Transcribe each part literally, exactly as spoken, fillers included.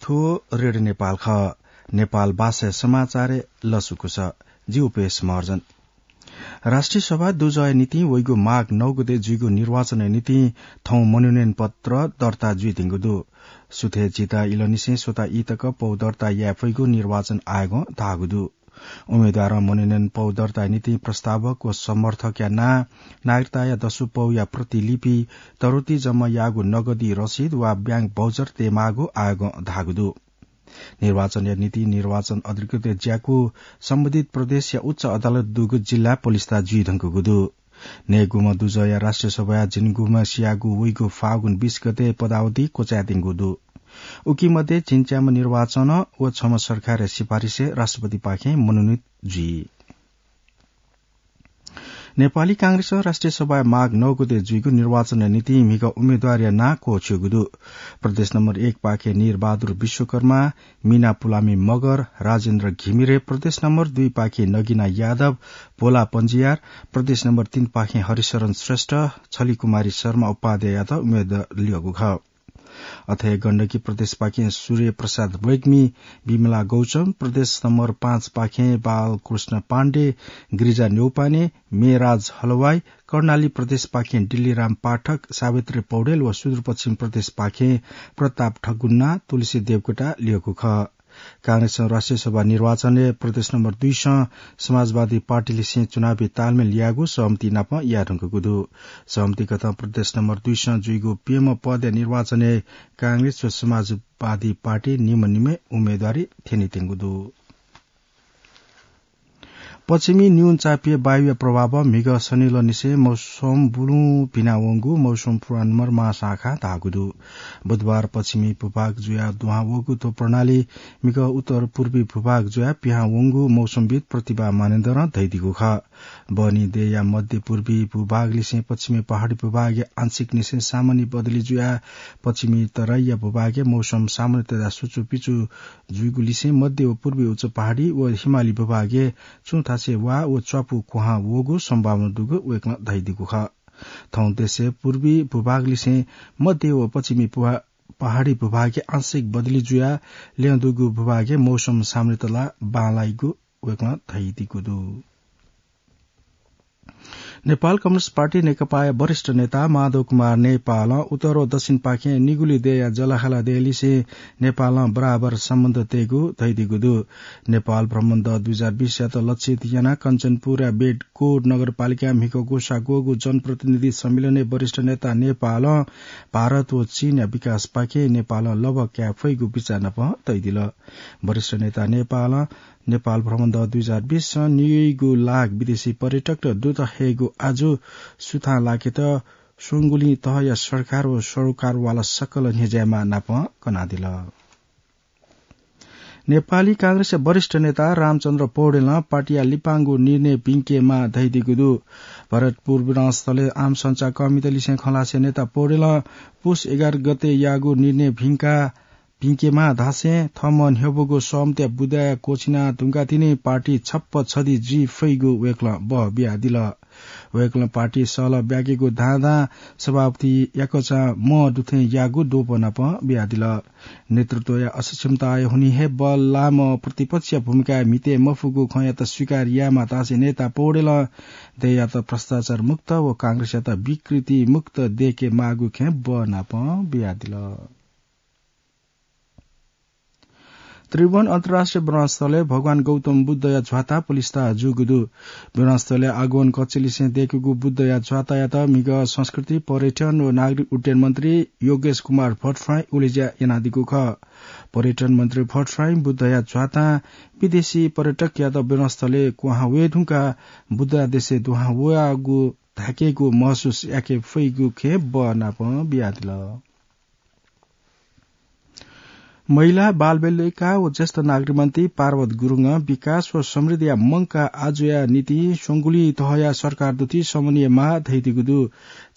थ्व रेडियो नेपाल खः। नेपाल भाषाया समाचारय् लसकुस। जि उपेश महर्जन। राष्ट्रिय सभा दुजःया निंतिं वइगु माघ नौ गते जुइगु निर्वाचनया निंतिं थौं मनोनयन पत्र दर्ता जुइधुंगु दु। सुथय् झिता इलंनिसें स्वता ई तक पौ दर्ता याये फइगु निर्वाचन आयोगं धाःगु दु। उम्मेद्वारं मनोनयन पौ दर्ताया निंतिं प्रस्तावक व समर्थकया नां, नागरिकताया दसु पौया प्रतिलिपि, तरुति जम्मा याःगु नगदी रसिद वा ब्याङ्क भाउचर तयेमाःगु आयोगं धाःगु दु। निर्वाचनया निंतिं निर्वाचन अधिकृतया ज्याकू सम्बन्धित प्रदेशया उच्च अदालत दुगु जिल्ला पलिस्था जुइधुंकूगु दु। नयेगुम्ह दुजःया राष्ट्रिय सभाया झिंगुम्ह सियागु वइगु फागुन बीस गते पदावधि क्वचायेधुंगु दु। उकी मध्ये झिंच्याम्ह निर्वाचन व छम्ह सरकारया सिफारिसय् राष्ट्रपतिपाखें मनोनीत जुइ। नेपाली कांग्रेसं राष्ट्रिय सभाय् माघ नौ गते जुइगु निर्वाचनया निंतिं म्हिगः उम्मेद्वारया नां क्वःछिउगु दु। प्रदेश नम्बर एक पाखें नीरबहादुर विश्वकर्मा, मीना पुलामी मगर, राजेन्द्र घिमिरे, प्रदेश नम्बर दुई पाखें नगिना यादव, भोला पञ्जियार, प्रदेश नम्बर तीन पाखें हरिशरण श्रेष्ठ, छलिकुमारी शर्मा उपाध्याययात उम्मेद्वारी ल्यःगु खः। अथे गण्डकी प्रदेशपाखें सूर्य प्रसाद रेग्मी, विमला गौचम, प्रदेश नम्बर पाँच पाखें बालकृष्ण पाण्डे, गिरिजा न्यौपाने, मेराज हलवाई, कर्णाली प्रदेशपाखें डिल्लीराम पाठक, सावित्री पौडेल व सुदूरपश्चिम प्रदेशपाखें प्रताप ठगुन्ना, तुलसी देवकोटा ल्यःगु खः। कांग्रेसं राष्ट्रिय सभा निर्वाचनय् प्रदेश नम्बर दुईसं समाजवादी पार्टीलिसें चुनावी तालमेल यायेगु सहमति नाप यायेधुंकूगु दु। सहमतिकथं प्रदेश नम्बर दुईसं जुइगु प्यम्ह पदया निर्वाचनय् कांग्रेस व समाजवादी पार्टी निम्ह निम्हय् उम्मेद्वारी थ्यनीत्यंगु दु। पश्चिमी न्यूनचापीय वायुया प्रभावं म्हिगः शनिलंनिसें मौसम बुलुं भिनावंगु मौसम पूर्वानुमान महाशाखां धाःगु दु। बुधबार पश्चिमी भूभाग जुयाः दुहां वःगु थ्व प्रणाली म्हिगः उत्तर पूर्वी भूभाग जुयाः पिहां वंगु मौसमविद् प्रतिभा मानन्धरं धयादीगु खः। बहनी देय्‌या मध्य पूर्वी भूभागलिसें पश्चिमी पहाडी भूभागय् आंशिक निसें सामान्य बदली जुयाः पश्चिमी तराईया भूभागय् मौसम सामान्यतया सुचुपिचु जुइगुलिसें मध्य व पूर्वी उच्च पहाडी व हिमाली भूभागय् छुं थासय् वा व च्वापु क्वहां वःगु सम्भावना दुगु वय्‌कलं धयादीगु खः। थौं देशय् पूर्वी भूभागलिसें मध्य व पश्चिमी पुहा-, पहाडी भूभागय् आंशिक बदली जुयाः ल्यं दुगु भूभागय् मौसम सामान्यतला बांलाइगु वय्‌कलं धयादीगु दु। नेपाल कम्युनिस्ट पार्टी नेकपाया वरिष्ठ नेता माधव कुमार नेपालं उत्तर व दक्षिणपाखें निगुली देय्‌या जःलाखःला देय्‌लिसें नेपालं बराबर सम्बन्ध तयेगु धयादीगु दु। नेपाल भ्रमण दः दुई हजार बीसयात लक्षित यानाः कञ्चनपुरया बेडकोट नगरपालिकां म्हिगः ग्वसाः ग्वःगु जनप्रतिनिधि सम्मेलनय् वरिष्ठ नेता नेपालं भारत व चीनया विकासपाखें नेपालं लभा काये फइगु बिचाः नाप तयादिल। वरिष्ठ नेता नेपालं नेपाल भ्रमण दः दुई हजार बीसं निगूगु लाख विदेशी पर्यटकत दुत हयेगु आजु सुथां लाकेत स्वंगुलिं तहया सरकार व सरोकारवाला सकल न्ह्यज्याय्‌म्ह नाप कनादिल। नेपाली कांग्रेसया वरिष्ठ नेता रामचन्द्र पौडेलं पार्टीया लिपांगु निर्णय भिंकेमाः धयादीगु दु। भरतपुर विधानस्थलय् आम संचारकर्मीतलिसें खँ ल्हासें नेता पौडेलं पुस एघार गते याःगु निर्णय भिंका भिंकेमाः धासें थःम्हं न्ह्यब्वःगु सहमतिया बुँदाय् क्वःछिना धुंकाः तिनि पार्टी छप्पा छधी जुइ फइगु वय्‌कलं बः बियादिल। वय्‌कलं पार्टी सहलह ब्याकेगु धां धां सभापति याकःचां मं दुथें याःगु द्वपं नाप बियादिल। नेतृत्वया असक्षमताया हुनिं हे बल्लाःम्ह प्रतिपक्षया भूमिकाय् म्हिते मफुगु खँयात स्वीकार यायेमाः धासें नेता पौडेलं देय्‌यात भ्रष्टाचार मुक्त व कांग्रेसयात विकृति मुक्त दयेकेमाःगु खँय् बः नाप बियादिल। त्रिभुवन अन्तर्राष्ट्रिय विमानस्थलय् भगवान गौतम बुद्धया झ्वाता पलिस्था जूगु दु। विमानस्थलया आगमन कक्षलिसें दयेकूगु बुद्धया झ्वातायात म्हिगः संस्कृति, पर्यटन व नागरिक उड्डयन मन्त्री योगेश कुमार भट्टराईं उलेज्या यानादीगु खः। पर्यटन मन्त्री भट्टराईं बुद्धया झ्वातां विदेशी पर्यटकयात विमानस्थलय् क्वहां वये धुंकाः बुद्ध देशय् दुहां वयागु धाकेगु महसुस याके फइगु खँय् बः नाप बियादिल। महिला, बालबालिका व ज्येष्ठ नागरिक मन्त्री पार्वत गुरुङं विकास व समृद्धिया मंकाः आजुया निंतिं स्वंगुलिं तहया सरकार दुथि समन्वय माः धयादीगु दु।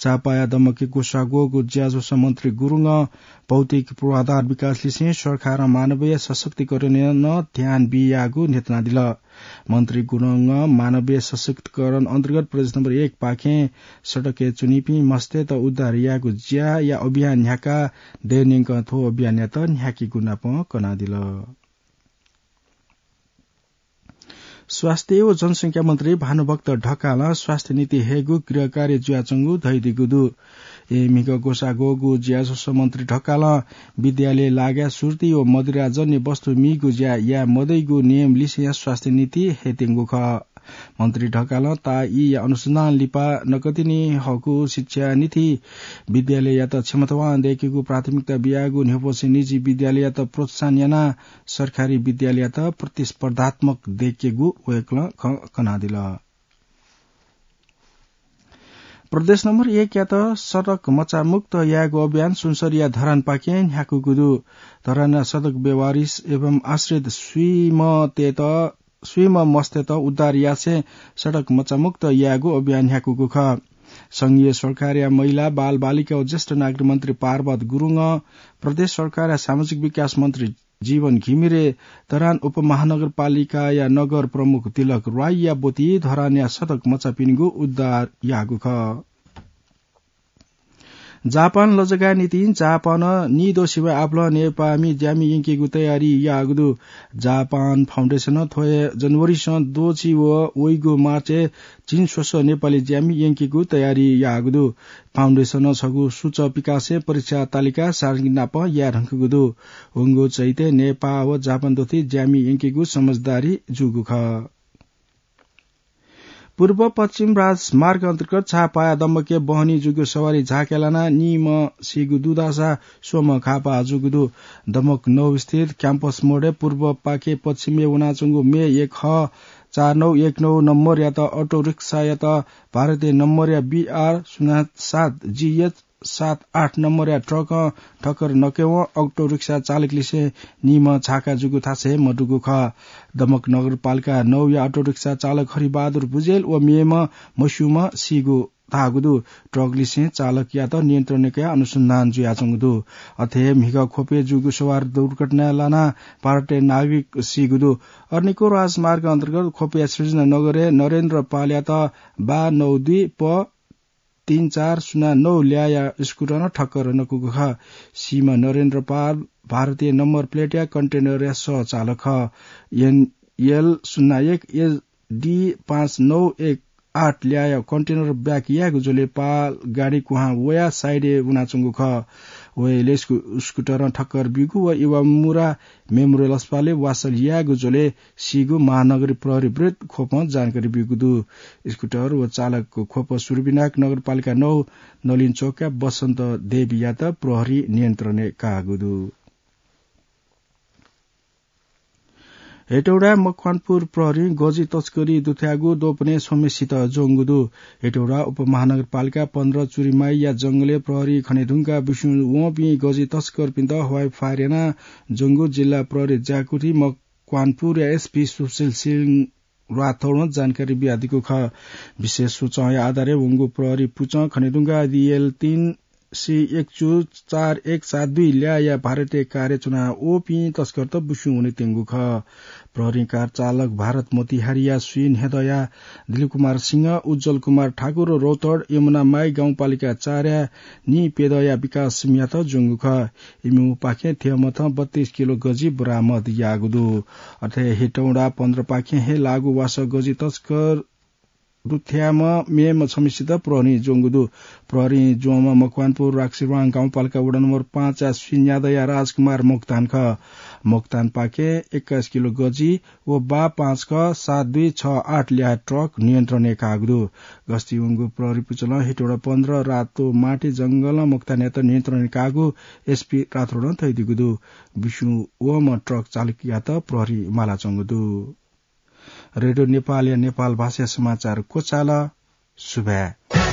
चापाया दमकय् ग्वसाः ग्वःगु ज्याझ्वलय् मन्त्री गुरुङं भौतिक पूर्वाधार विकास लिसें सरकारं मानवीय सशक्तिकरणय् नं ध्यान बियागु न्ह्यथनादिल। मन्त्री गुरुङं मानवीय सशक्तिकरण अन्तर्गत प्रदेश नम्बर एक पाखें सडकय् च्वनीपिं मस्तय्त उद्धार यायेगु ज्याया अभियान न्ह्याका दयेन्यंकं थ्व अभियानयात न्ह्याकेगु नापं कनादिल। स्वास्थ्य व जनसंख्या मन्त्री भानुभक्त ढकालं स्वास्थ्य नीति हयेगु गृह कार्य जुयाच्वंगु धयादीगु दु। ए म्हिगः ग्वसाः ग्वःगु ज्याझ्वलय् मन्त्री ढकालं विद्यालय लागाय् सुर्ती व मदिराजन्य वस्तु मीगु ज्या याये मदइगु नियम लिसें स्वास्थ्य नीति हयेत्यंगु खः। मन्त्री ढकालं ताःईया अनुसन्धान लिपा नकतिनि हःगु शिक्षा नीति विद्यालययात क्षमतावान दयेकेगु प्राथमिकता बियागु न्ह्यब्वसे निजी विद्यालययात प्रोत्साहन यानाः सरकारी विद्यालययात प्रतिस्पर्धात्मक दयेकेगु वय्कलं क-, कनादिल। प्रदेश नम्बर एकयात सडक मचामुक्त यायेगु अभियान सुनसरीया धरानपाखें न्ह्याकूगु दु। धरानया सडक व्यवहारिस एवं आश्रित स्वीमतय्त स्वीम्ह मस्तय्त उद्धार यासें सडक मचामुक्त यायेगु अभियान न्ह्याकूगु खः। संघीय सरकारया महिला, बालबालिका व ज्येष्ठ नागरिक मन्त्री पार्वत गुरुङं प्रदेश सरकारया सामाजिक विकास मन्त्री जीवन घिमिरे, धरान उपमहानगरपालिकाया नगर प्रमुख तिलक राईया ब्वति धरानया सडक मचापिनिगु उद्धार याःगु खः। जापान लजगाःया निंतिं जापानं निदँ सिबय् आपालं नेपाःमि ज्यामि यंकेगु तयारी याःगु दु। जापान फाउन्डेसनं थ्व हे जनवरीसं दोछि व वइगु मार्चय् झिंस्वसः नेपाली ज्यामि यंकेगु तयारी याःगु दु। फाउन्डेसनं छगू सूचक विकासय् परीक्षा तालिका सार्वजनिक नाप याये धुंकूगु दु। वंगु चैतय् नेपाः व जापान दथुइ ज्यामि यंकेगु समझदारी जूगु खः। पूर्व पश्चिम राजमार्ग अन्तर्गत छापाया दमकय् बहनी जूगु सवारी झाँक्या लानाः निम्ह सीगु दुधासा स्वम्ह घाःपाः जूगु दु। दमक नौ स्थित क्याम्पस मोडय् पूर्वपाखे पश्चिमय् वनाच्वंगु मे एक ह चार नौ एक नौ नम्बरयात अटो रिक्सायात भारतीय नम्बरया बी आर शून्य सात जी एच सात आठ नम्बरया ट्रकं ठक्कर नकयेवं अटो रिक्सा चालकलिसें निम्ह झाँक्का जूगु थासय् मदुगु खः। दमक नगरपालिका नौया अटो रिक्सा चालक हरिबहादुर भुजेल व मेम्ह मस्यूम्ह सीगु धाःगु दु। ट्रकलिसें चालकयात नियन्त्रणय् कयाः अनुसन्धान जुयाच्वंगु दु। अथे हे म्हिगः ख्वपय् जूगु सवारी दुर्घटनाय् लानाः भारतीय नागरिक सीगु दु। अर्निको राजमार्ग अन्तर्गत ख्वपया सृजना नगरय् नरेन्द्र पालयात बा नौ दुई प तीन चार शून्य नौ ल्याःया स्कुटरं ठक्कर नकूगु खः। सीम्ह नरेन्द्र पाल भारतीय नम्बर प्लेटया कन्टेनरया सह चालक खः। एनएल शून्य एक एसडी पाँच नौ एक आठ ल्याःया कन्टेनर ब्याक यायेगु झ्वलय् पाल गाडी क्वहां वयाः साइडय् वनाच्वंगु खः। वय्कःयात स्कु-, स्कुटरं ठक्कर ब्यूगु व इवामुरा मेमोरियल अस्पतालय् वासः यायेगु झ्वलय् सीगु महानगरीय प्रहरी वृत्त ख्वपं जानकारी ब्यूगु दु। स्कुटर व चालकको ख्वप सुरुविनायक नगरपालिका नौ नलिन चोकया बसन्त देवीयात प्रहरीं नियन्त्रणय् काःगु दु। हेटौडा मकवानपुर प्रहरीं गजि तस्करी दुथ्याःगु द्वपनय् छम्हसित ज्वंगु दु। हेटौडा उपमहानगरपालिका पन्ध्र चुरिमाईया जंगलय् प्रहरी खनेधुंकाः बिस्युं वंपिं गजि तस्करपिन्त हवाई फायर यानाः ज्वंगु जिल्ला प्रहरी ज्याकुथि मकवानपुरया एसपी सुशील सिंह राठौडं जानकारी बियादीगु खः। विशेष सूचनाया आधारय् वंगु प्रहरी पुचं खनेधुंकाः डिएल तीन सी एक चु चार एक सात दुई ल्याःया भारतीय कारय् च्वनावःपिं तस्करत बिस्युं वनेत्यंगु खः। प्रहरीं कार चालक भारत मोतिहारीया स्वीन्हय्दँया दिलीप कुमार सिंह, उज्ज्वल कुमार ठाकुर, रौतहट यमुनामाई गाउँपालिका चारया नीप्यदँया विकास सिंहयात ज्वंगु खः। इमिपाखें थ्यंमथं बत्तीस किलो गजि बरामद याःगु दु। अथे हेटौडा पन्ध्रपाखें हे लाःगु वासः गजि तस्कर दुथ्याःम्ह मेम्ह छम्हसित प्रहरीं ज्वंगु दु। प्रहरीं ज्वंम्ह मकवानपुर राक्सिरवाङ गाउँपालिका वडा नम्बर पाँचया स्वीन्हय्दँया राजकुमार मोक्तान खः। मोक्तानपाखें एक्काइस किलो गजि व बा पाँच क सात दुई छ आठ ल्याः ट्रक नियन्त्रणय् काःगु दु। गस्ती वंगु प्रहरी पुचलं हेटौडा पन्ध्र रातो माटी जंगलं मोक्तानयात नियन्त्रणय् काःगु एसपी राठौडं धयादीगु दु। बिस्युं वःम्ह ट्रक चालकयात प्रहरीं मालाच्वंगु दु। रेडियो नेपालया नेपाल भाषाया समाचार क्वचाल। सुभाय्।